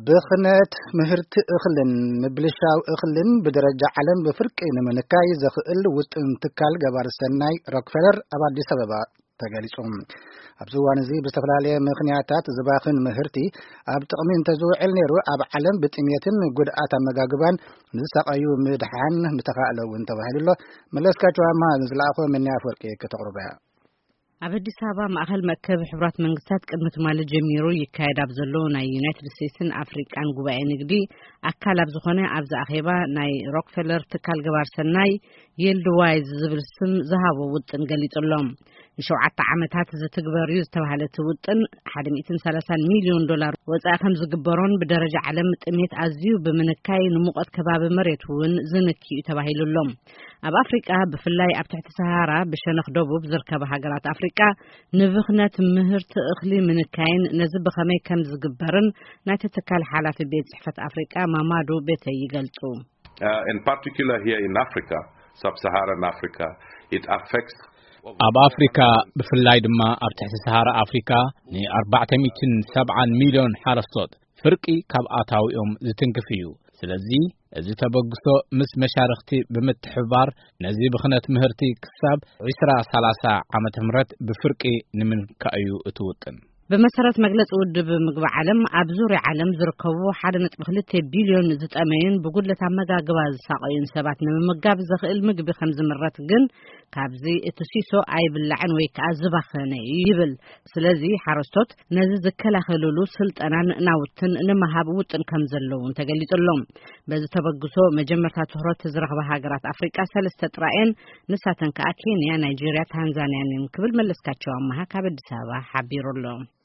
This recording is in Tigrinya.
ብኽነት ምህርቲ እኽልን ምብልሻው እኽልን ብደረጃ ዓለም ብፍርቂ ንምንካይ ዘኽእል ውጥን ትካል ገባር ሰናይ ሮክፌለር ኣብ ኣዲስ ኣበባ ተገሊጹ። ኣብዚ እዋን እዚ ብዝተፈላለየ ምኽንያታት ዝባኽን ምህርቲ ኣብ ጥቕሚ እንተዝውዕል ነይሩ፣ ኣብ ዓለም ብጥሜትን ጉድኣት ኣመጋግባን ንዝሳቐዩ ምድሓን ምተኻእለ እውን ተባሂሉ ኣሎ። መለስካቸው ኣማ ዝለኣኾ ምንያ ኣፈወርቂ ከተቕርቦ እያ። ኣብ ኣዲስ ኣበባ ማእኸል መእከብ ሕቡራት መንግስታት ቅድሚ ትማሊ ጀሚሩ ይካየድ ኣብ ዘሎ ናይ ዩናይትድ ስቴትስን ኣፍሪቃን ጉባኤ ንግዲ ኣካል ኣብ ዝኾነ ኣብዚ ኣኼባ ናይ ሮክፌለር ትካል ገባር ሰናይ ይልድ ዋይዝ ዝብል ስም ዝሃቦ ውጥን ገሊጹ ኣሎ። ንሸውዓተ ዓመታት ዝትግበር እዩ ዝተባህለ እቲ ውጥን ሓደ ሚእትን ሰላሳን ሚልዮን ዶላር ወጻኢ ከም ዝግበሮን ብደረጃ ዓለም ጥሜት ኣዝዩ ብምንካይ ንሙቐት ከባቢ መሬት እውን ዝንኪ እዩ ተባሂሉ ኣሎ። ኣብ ኣፍሪቃ ብፍላይ ኣብ ትሕቲ ሰሃራ ብሸነኽ ደቡብ ዝርከባ ሃገራት ኣፍሪቃ ንብኽነት ምህርቲ እኽሊ ምንካይን ነዚ ብኸመይ ከም ዝግበርን ናይቲ ትካል ሓላፊ ቤት ጽሕፈት ኣፍሪቃ ማማዱ ቤተይ ይገልጹ። Uh, in particular here in Africa, sub-Saharan Africa, it affects ኣብ ኣፍሪካ ብፍላይ ድማ ኣብ ትሕቲ ሰሃራ ኣፍሪካ ን ኣርባዕተ ሚእትን ሰብዓን ሚልዮን ሓረስቶት ፍርቂ ካብ ኣታዊኦም ዝትንክፍ እዩ። ስለዚ እዚ ተበግሶ ምስ መሻርኽቲ ብምትሕብባር ነዚ ብኽነት ምህርቲ ክሳብ ዕስራ ሰላሳ ዓመተ ምህረት ብፍርቂ ንምንካእ እዩ እቲ ውጥን። ብመሰረት መግለጺ ውድብ ምግቢ ዓለም ኣብ ዙርያ ዓለም ዝርከቡ ሓደ ነጥቢ ክልተ ቢልዮን ዝጠመዩን ብጉድለት ኣመጋግባ ዝሳቐዩን ሰባት ንምምጋብ ዘኽእል ምግቢ ከም ዝምረት ግን ካብዚ እቲ ሲሶ ኣይብላዕን ወይ ከዓ ዝባኸነ እዩ ይብል። ስለዚ ሓረስቶት ነዚ ዝከላኸልሉ ስልጠናን ናውትን ንምሃብ ውጥን ከም ዘለውን ተገሊጹ ኣሎ። በዚ ተበግሶ መጀመርታ ትኹረት ዝረኽባ ሃገራት ኣፍሪቃ ሰለስተ ጥራየን፣ ንሳተን ከዓ ኬንያ፣ ናይጄርያ፣ ታንዛንያን እዮም ክብል መለስካቸው ኣመሃ ካብ ኣዲስ ኣበባ ሓቢሩ ኣሎ።